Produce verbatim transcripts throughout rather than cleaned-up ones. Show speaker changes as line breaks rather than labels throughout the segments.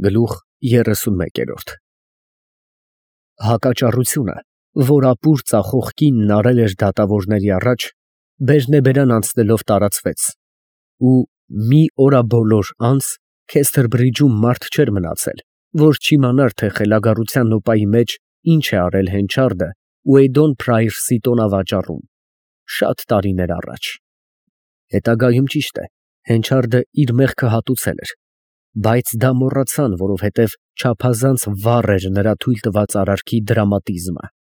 Գլուխ երեսունմեկ։ Հակաճառությունը, որ ապուր ծախող կինն արել էր դատավորների առաջ, բերնեբերան անցնելով տարածվեց, ու մի օրաբոլոր անց Քեսթերբրիջում մարդ չէր մնացել, որ չիմանար, թե խելագարության նոպայի մեջ ինչ է արել Հենչարդը Ուեյդոն Փրայրսի տոնավաճառում, շատ տարիներ առաջ։ Հետագայում, ճիշտ է, Հենչարդը իր մեղքը հատուցել էր, բայց դա մոռացան, որովհետև չափազանց վառ էր նրա թույլ տված արարքի դրամատիզմը։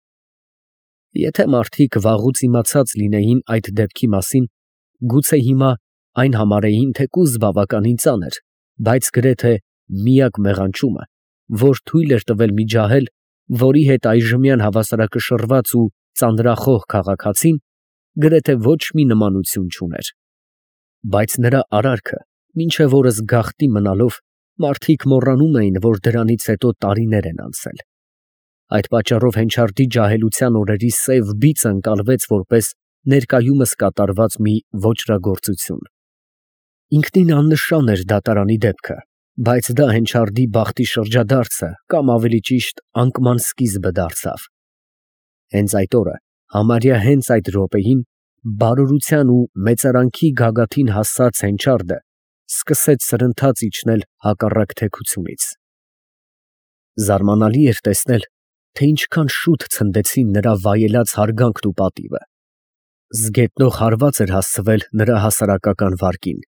Եթե մարդիկ վաղուց իմացած լինեին այդ դեպքի մասին, գուցե հիմա այն համարեին թեկուզ բավականին ծանր, բայց գրեթե միակ մեղանչումը, որ թույլ էր տվել մի ջահել, որի հետ այժմյան հավասարակշռված ու ծանրախոհ քաղաքացին գրեթե ոչ մի նմանություն չուներ։ Բայց նրա արարքը մինչև օրս գաղտնի մնալով, մարդիկ մոռանում էին, որ դրանից հետո տարիներ են անցել։ Այդ պատճառով Հենչարդի ջահելության օրերի սև բիծը ընկալվեց որպես ներկայումս կատարված մի ոճրագործություն։ Ինքնին աննշան էր դատարանի դեպքը, բայց դա Հենչարդի բախտի շրջադարձը կամ ավելի ճիշտ անկման սկիզբը դարձավ։ Հենց այդ օրը, համարյա հենց այդ րոպեին, բարօրության ու մեծարանքի գագաթին հասած Հենչարդը սկսեց սրընթաց իջնել հակառակ թեքությունից։ Զարմանալի էր տեսնել, թե ինչքան շուտ ցնդեցին նրա վայելած հարգանքն ու պատիվը։ Զգետնող հարված էր հասցվել նրա հասարակական վարկին,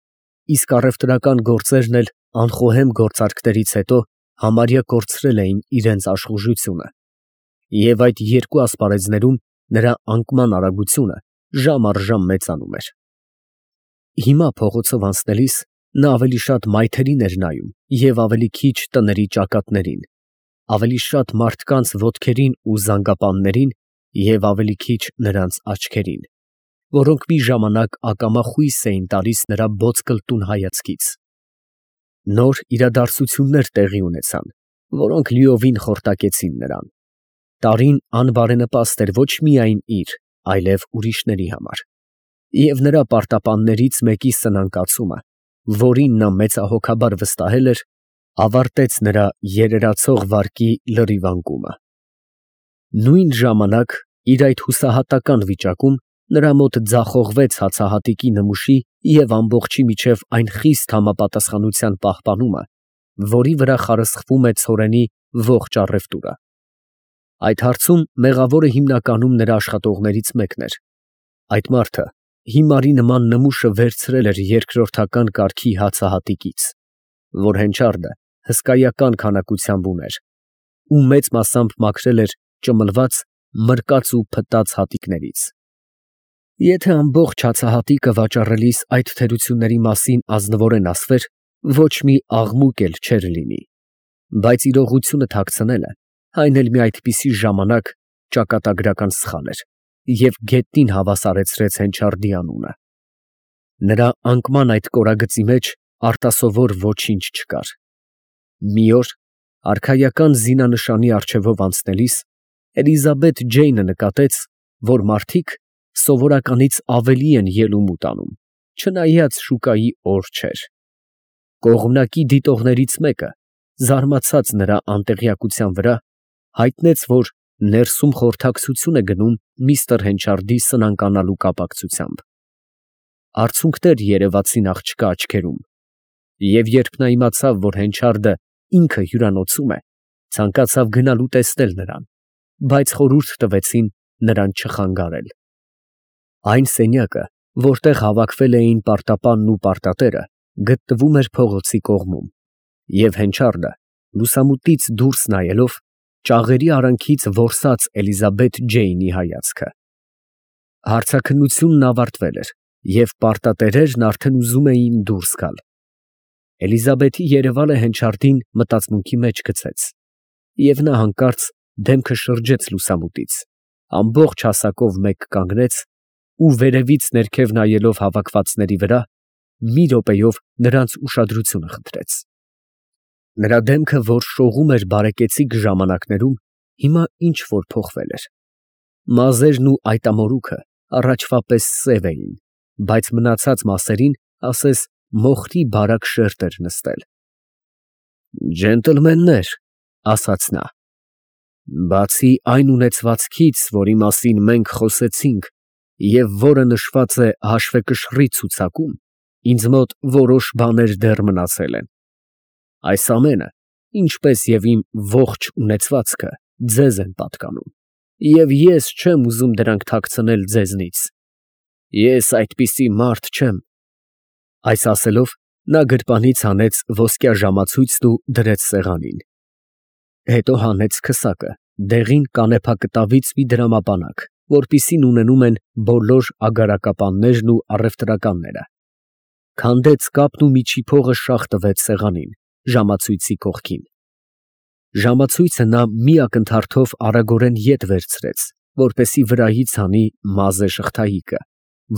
իսկ առևտրական գործերն էլ անխոհեմ գործարքներից հետո համարյա կորցրել էին իրենց աշխուժությունը։ Եվ այդ երկու ասպարեզներում նրա անկման արագությունը ժամ առ ժամ մեծանում էր։ Հիմա փողոցով անցնելիս նա ավելի շատ մայթերին էր նայում և ավելի քիչ տների ճակատներին, ավելի շատ մարդկանց ոտքերին ու զանգապաններին և ավելի քիչ նրանց աչքերին, որոնք մի ժամանակ ակամա խույս էին տալիս նրա բոծկլտուն հայացքից։ Նոր իրադարձություններ տեղի ունեցան, որոնք լիովին խորտակեցին նրան։ Տարին անբարենպաստ էր ոչ միայն իր, այլև ուրիշների համար, և նրա պարտապաններից մեկի սնանկացումը, որին նա մեծահոգաբար վստահել էր, ավարտեց նրա երերացող վարկի լրիվ անկումը։ Նույն ժամանակ իր այդ հուսահատական վիճակում նրա մոտ ձախողվեց հացահատիկի նմուշի և ամբոխջի միջև այն խիստ համապատասխանության պահպանումը, որի վրա խարսխվում է ցորենի ողջ առևտուրը։ Այդ հարցում մեղավորը հիմնականում նրա աշխատողներից մեկն էր։ Այդ մարդը հիմարի նման նմուշը վերցրել էր երկրորդական կարգի հացահատիկից, որ Հենչարդը հսկայական քանակությամբ ուներ, ու մեծ մասամբ մաքրել էր ճմլված, մրկած ու փտած հատիկներից։ Եթե ամբողջ հացահատիկը վաճառելիս այդ թերությունների մասին ազնվորեն ասվեր, ոչ մի աղմուկ էլ չէր լինի, բայց իրողությունը թաքցնելը, այն էլ մի այդպիսի ժամանակ, ճակատագրական սխալ էր և գետնին հավասարեցրեց Հենչարդի անունը։ Նրա անկման այդ կորագծի մեջ արտասովոր ոչինչ չկար։ Մի օր, արքայական զինանշանի առջևով անցնելիս, Էլիզաբեթ Ջեյնը նկատեց, որ մարդիկ սովորականից ավելի են ելում ու տանում, չնայած շուկայի օր չէր։ Կողմնակի դիտողներից մեկը, զարմացած նրա անտեղյակության վրա, հայտնեց, որ ներսում խորհրդակցություն է գնում միստր Հենչարդի սնանկանալու կապակցությամբ։ Արցունքներ երևացին աղջկա աչքերում, և երբ նա իմացավ, որ Հենչարդը ինքը հյուրանոցում է, ցանկացավ գնալ ու տեսնել նրան, բայց խորհուրդ տվեցին նրան չխանգարել։ Այն սենյակը, որտեղ հավաքվել էին պարտապանն ու պարտատերը, գտնվում էր փողոցի կողմում, և Հենչարդը, լուսամուտից դուրս նայելով, ճաղերի արանքից որսաց Էլիզաբեթ Ջեյնի հայացքը։ Հարցաքննությունն ավարտվել էր, և պարտատերերն արդեն ուզում էին դուրս գալ։ Էլիզաբեթի երևալը Հենչարդին մտածմունքի մեջ գցեց, և նա հանկարծ դեմքը շրջեց լուսամուտից, ամբողջ հասակով մեկ կանգնեց ու վերևից ներքև նայելով հավաքվածների վրա, մի րոպեով նրանց ուշադրությունը խնդրեց։ Նրա դեմքը, որ շողում էր բարեկեցիկ ժամանակներում, հիմա ինչ֊որ փոխվել էր։ Մազերն ու այտամորուքը առաջվա պես սև էին, բայց մնացած մասերին ասես մոխրի բարակ շերտ էր նստել։ Ջենտլմեններ, ասաց նա, բացի այն ունեցվածքից, որի մասին մենք խոսեցինք և որը նշված է հաշվեկշռի ցուցակում, ինձ մոտ որոշ բաներ դեռ մնացել են։ Այս ամենը, ինչպես և իմ ողջ ունեցվածքը, ձեզ են պատկանում, և ես չեմ ուզում դրանք թաքցնել ձեզնից։ Ես այդպիսի մարդ չեմ։ Այս ասելով, նա գրպանից հանեց ոսկյա ժամացույցն ու դրեց սեղանին։ Հետո հանեց քսակը, դեղին կանեփակտավից մի դրամապանակ, որպիսին ունենում են բոլոր ագարակապաններն ու առևտրականները, քանդեց կապն ու միջի փողը շաղ տվեց սեղանին, ժամացույցի կողքին։ Ժամացույցը նա մի ակնթարթով արագորեն ետ վերցրեց, որպեսզի վրայից հանի մազե շղթայիկը,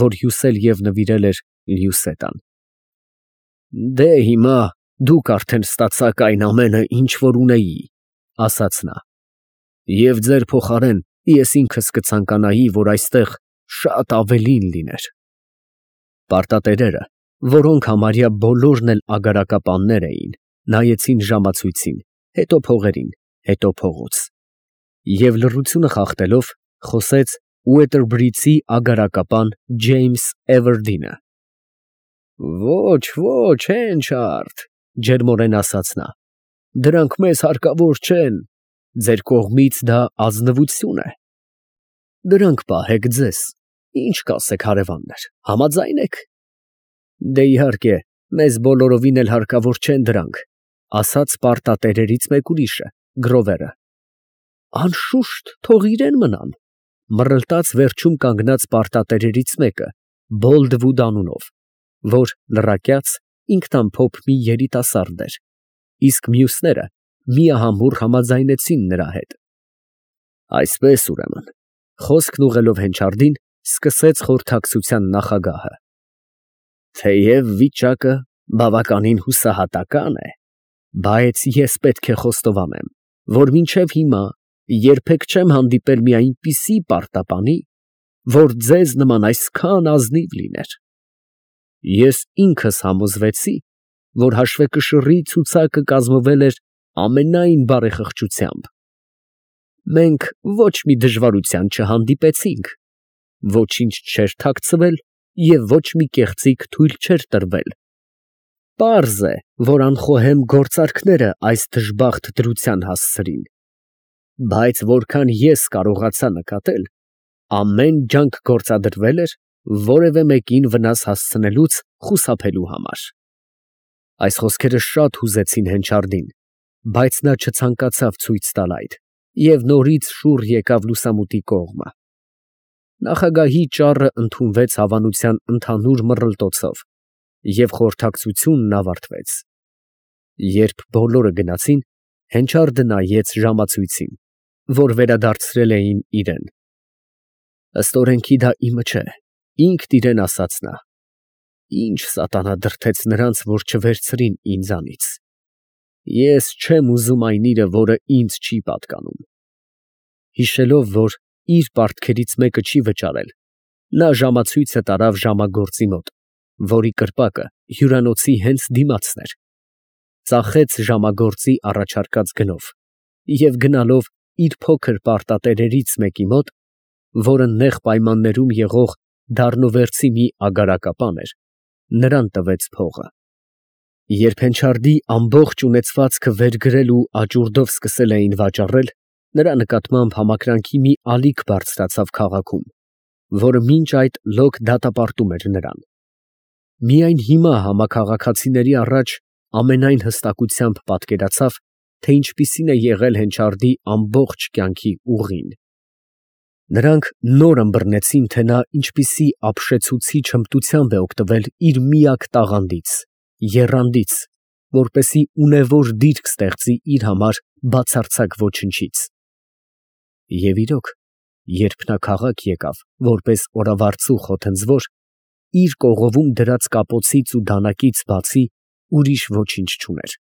որ հյուսել և նվիրել էր Լյուսետան։ Դե հիմա դուք արդեն ստացաք այն ամենը, ինչ որ ունեի, ասաց նա, և ձեր փոխարեն ես ինքս կցանկանայի, որ այստեղ շատ ավելին լիներ։ Պարտատերերը, որոնք համարյա բոլորն էլ ագարակապաններ էին, նայեցին ժամացույցին, հետո փողերին, հետո փողոց, և լռությունը խախտելով խոսեց Ուեթերբրիցի ագարակապան Ջեյմս Էվերդինը։ Ոչ, ոչ, Հենչարդ, ջերմորեն ասաց նա, դրանք մեզ հարկավոր չեն, ձեր կողմից դա ազնվություն է։ Դրանք պահեք ձեզ, ինչ կասեք հարևաններ, համաձա՞յն եք։ Դե իհարկե, մեզ բոլորովին էլ հարկավոր չեն դրանք, ասաց պարտատերերից մեկ ուրիշը, Գրովերը։ Անշուշտ, թող իրեն մնան, մռլտաց վերջում կանգնած պարտատերերից մեկը, Բոլդվուդ անունով, որ լռակյաց, ինքնամփոփ մի երիտասարդ էր, իսկ մյուսները միահամուռ համաձայնեցին նրա հետ։ Այսպես, ուրեմն, խոսքն ուղղելով Հենչարդին, սկսեց խորհրդակցության նախագահը. Թեև վիճակը բավականին հուսահատական է, բայց ես պետք է խոստովանեմ, որ մինչև հիմա երբեք չեմ հանդիպել մի այնպիսի պարտապանի, որ ձեզ նման այսքան ազնիվ լիներ։ Ես ինքս համոզվեցի, որ հաշվեկշռի ցուցակը կազմվել էր ամենայն բարեխղճությամբ։ Մենք ոչ մի դժվարության չհանդիպեցինք, ոչինչ չէր թաքցվել և ոչ մի կեղծիք թույլ չէր տրվել։ Պարզ է, որ անխոհեմ գործարքները այս դժբախտ դրության հասցրին, բայց որքան ես կարողացա նկատել, ամեն ջանք գործադրվել էր որևէ մեկին վնաս հասցնելուց խուսափելու համար։ Այս խոսքերը շատ հուզեցին Հենչարդին, բայց նա չցանկացավ ցույց տալ այդ և նորից շուռ եկավ լուսամուտի կողմը։ Նախագահի ճառը ընդունվեց հավանության ընդհանուր մռլտոցով, և խորհրդակցությունն ավարտվեց։ Երբ բոլորը գնացին, Հենչարդը նայեց ժամացույցին, որ վերադարձրել էին իրեն։ Ըստ օրենքի դա իմը չէ, ինքն իրեն ասաց նա։ Ինչ սատանա դրդեց նրանց, որ չվերցրին ինձանից։ Ես չեմ ուզում այն իրը, որը ինձ չի պատկանում։ Հիշելով, որ իր պարտքերից մեկը չի վճարել, նա ժամացույցը տարավ ժամագործի մոտ, որի կրպակը հյուրանոցի հենց դիմացն էր, ծախեց ժամագործի առաջարկած գնով և գնալով իր փոքր պարտատերերից մեկի մոտ, որը նեղ պայմաններում եղող դառնովերցի մի ագարակապան էր, նրան տվեց փողը։ Երբ Հենչարդի ամբողջ ունեցվածքը վերգրել ու աճուրդով սկսել էին վաճառել, նրա նկատմամբ համակրանքի մի ալիք բարձրացավ քաղաքում, որը մինչ այդ լոկ դատապարտում էր նրան։ Միայն հիմա համաքաղաքացիների առաջ ամենայն հստակությամբ պատկերացավ, թե ինչպիսին է եղել Հենչարդի ամբողջ կյանքի ուղին։ Նրանք նոր ըմբռնեցին, թե նա ինչպիսի ապշեցուցիչ հմտությամբ է օգտվել իր միակ տաղանդից, եռանդից, որպեսզի ունևոր դիրք ստեղծի իր համար բացարձակ ոչնչից։ Եվ իրոք, երբ նա քաղաք եկավ, որպես օրավարձու խոթնձոր, իր կողովում դրած կապոցից ու դանակից բացի ուրիշ ոչինչ չուներ։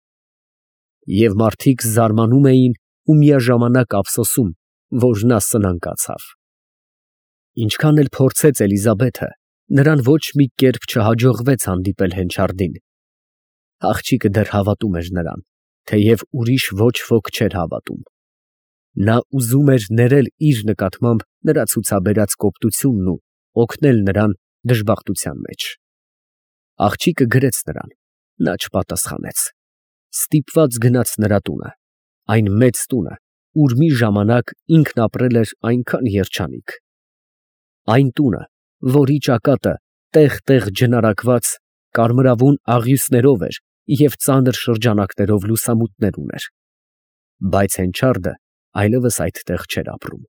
Եվ մարդիկ զարմանում էին ու միաժամանակ ափսոսում, որ նա սնանկացավ։ Ինչքան էլ փորձեց Էլիզաբեթը, նրան ոչ մի կերպ չհաջողվեց հանդիպել Հենչարդին։ Աղջիկը դեռ հավատում էր նրան, թեև ուրիշ ոչ ոք չէր հավատում։ Նա ուզում էր ներել իր նկատմամբ նրա ցուցաբերած կոպտությունն ու օգնել նրան դժբախտության մեջ։ Աղջիկը գրեց նրան, նա չպատասխանեց։ Ստիպված գնաց նրա տունը, այն մեծ տունը, ուր մի ժամանակ ինքն ապրել էր այնքան երջանիկ։ Այն տունը, որի ճակատը տեղ֊տեղ ջնարակված կարմրավուն աղյուսներով էր և ծանր շրջանակներով լուսամուտներ ուներ։ Բայց Հենչարդը այլևս այդտեղ չէր ապրում։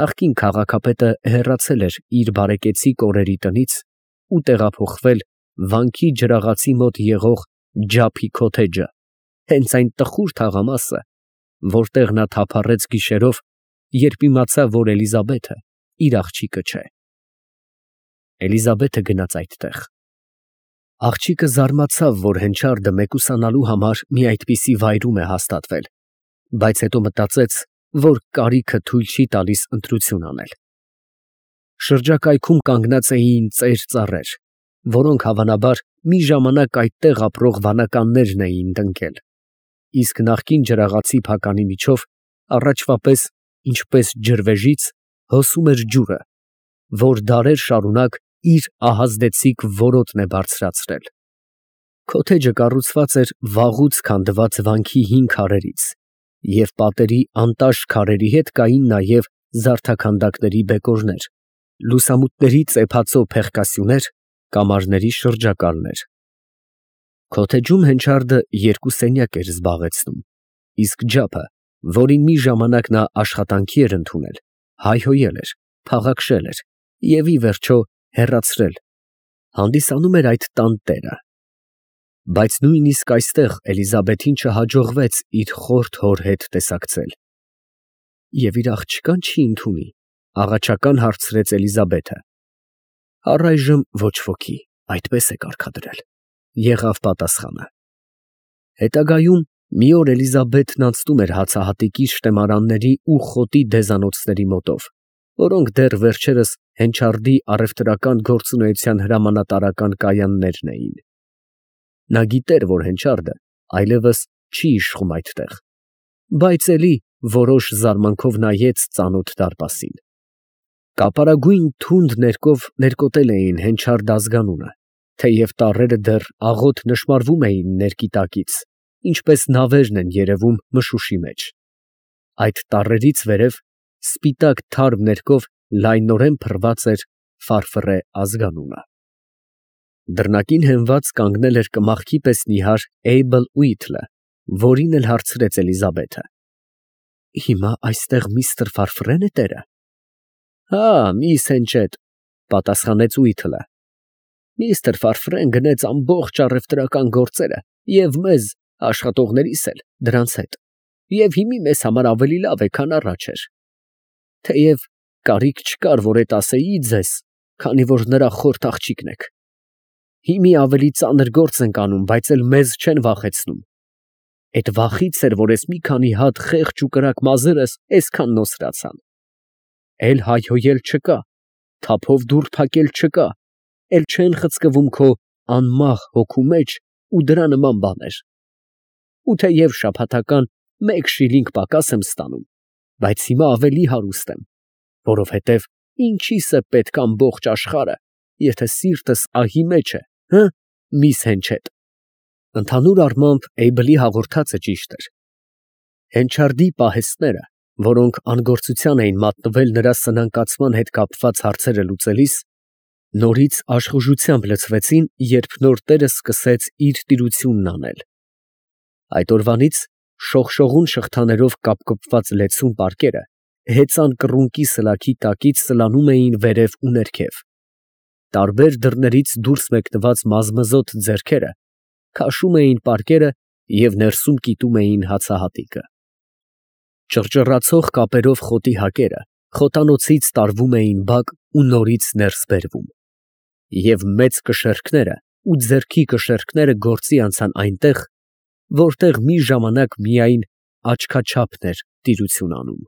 Նախկին քաղաքապետը հեռացել էր իր բարեկեցիկ օրերի տնից ու տեղափոխվել վանքի ջրաղացի մոտ եղող Ջափի քոթեջը, հենց այն տխուր թաղամասը, որտեղ նա թափառեց գիշերով, երբ իմացավ, որ Էլիզաբեթը իր աղջիկը չէ։ Էլիզաբեթը գնաց այդտեղ։ Աղջիկը զարմացավ, որ Հենչարդը մեկուսանալու համար մի այդպիսի վայրում է հաստատվել, բայց հետո մտածեց, որ կարիքը թույլ չի տալիս ընտրություն անել։ Շրջակայքում կանգնած էին ծեր ծառեր, որոնք հավանաբար մի ժամանակ այդտեղ ապրող վանականներն էին տնկել, իսկ նախկին ջրաղացի փականի միջով առաջվա պես, ինչպես ջրվեժից, հոսում էր ջուրը, որ դարեր շարունակ իր ահազդեցիկ որոտն է բարձրացրել։ Քոթեջը կառուցված էր վաղուց քանդված վանքի հին քարերից, և պատերի անտաշ քարերի հետ կային նաև զարդաքանդակների բեկորներ, լուսամուտների ծեփածո փեղկասյուներ, կամարների շրջակալներ։ Քոթեջում Հենչարդը երկու սենյակ էր զբաղեցնում, իսկ Ջափը, որին մի ժամանակ նա աշխատանքի էր ընդունել, հայհոյել էր, փաղաքշել էր և, ի վերջո, հեռացրել, հանդիսանում էր այդ տան տերը։ Բայց նույնիսկ այստեղ Էլիզաբեթին չհաջողվեց իր խորթ հոր հետ տեսակցել։ «Եվ իր աղջկա՞ն չի ընդունի», ֊ աղաչական հարցրեց Էլիզաբեթը։ «Առայժմ ոչ ոքի, այդպես է կարգադրել», ֊ եղավ պատասխանը։ Հետագայում մի օր Էլիզաբեթն անցնում էր հացահատիկի շտեմարանների ու խոտի դեզանոցների մոտով, որոնք դեռ վերջերս Հենչարդի առևտրական գործունեության հրամանատարական կայաններն էին։ Նա գիտեր, որ Հենչարդը այլևս չի իշխում այդտեղ, բայց էլի որոշ զարմանքով նայեց ծանոթ դարպասին։ Կապարագույն թունդ ներկով ներկոտել էին Հենչարդ ազգանունը, թեև տառերը դեռ աղոտ նշմարվում էին ներկի տակից, ինչպես նավերն են երևում մշուշի մեջ։ Այդ տառերից վերև սպիտակ թարմ ներկով լայնորեն փռված էր Ֆարֆռե ազգանունը։ Դռնակին հենված կանգնել էր կմախքի պես նիհար Էյբլ Ուիթլը, որին էլ հարցրեց Էլիզաբեթը. «Հիմա այստեղ միստր Ֆարֆռե՞ն է տերը»։ «Հա, միս Հենչեդ», ֊ պատասխանեց Ուիթլը։ «Միստր Ֆարֆռեն գնեց ամբողջ առևտրական գործերը և մեզ, աշխատողներիս էլ, դրանց հետ, և հիմի մեզ համար ավելի լավ է, քան առաջ էր։ Թեև կարիք չկար, որ էդ ասեի ձեզ, քանի որ նրա խորթ աղջիկն եք։ Հիմի ավելի ծանր գործ ենք անում, բայց էլ մեզ չեն վախեցնում։ Էդ վախից էր, որ ես մի քանի հատ խեղճ ու կրակ մազերս այսքան նոսրացան։ Էլ հայհոյել չկա, թափով դուռ փակել չկա, էլ չեն խցկվում քո անմահ հոգու մեջ ու դրա նման բաներ։ Ու թեև շաբաթական մեկ շիլինգ պակաս եմ ստանում, բայց հիմա ավելի հարուստ եմ, որովհետև ինչի՞ս է պետք ամբողջ աշխարհը, եթե սիրտս ահի մեջ է, հը՞, միս Հենչեդ»։ Ընդհանուր առմամբ Էյբլի հաղորդածը ճիշտ էր։ Հենչարդի պահեստները, որոնք անգործության էին մատնվել նրա սնանկացման հետ կապված հարցերը լուծելիս, նորից աշխուժությամբ լցվեցին, երբ նոր տերը սկսեց իր տիրությունն անել։ Այդ օրվանից շողշողուն շղթաներով կապկպված լեցուն պարկերը հեծան կռունկի սլաքի տակից սլանում էին վերև ու ներքև։ Տարբեր դռներից դուրս մեկնված մազմզոտ ձեռքերը քաշում էին պարկերը և ներսում կիտում էին հացահատիկը։ Ճռճռացող կապերով խոտի հակերը խոտանոցից տարվում էին բակ ու նորից ներս բերվում, և մեծ կշեռքները ու ձեռքի կշեռքները գործի անցան այնտեղ, որտեղ մի ժամանակ միայն աչքաչափն էր տիրություն անում։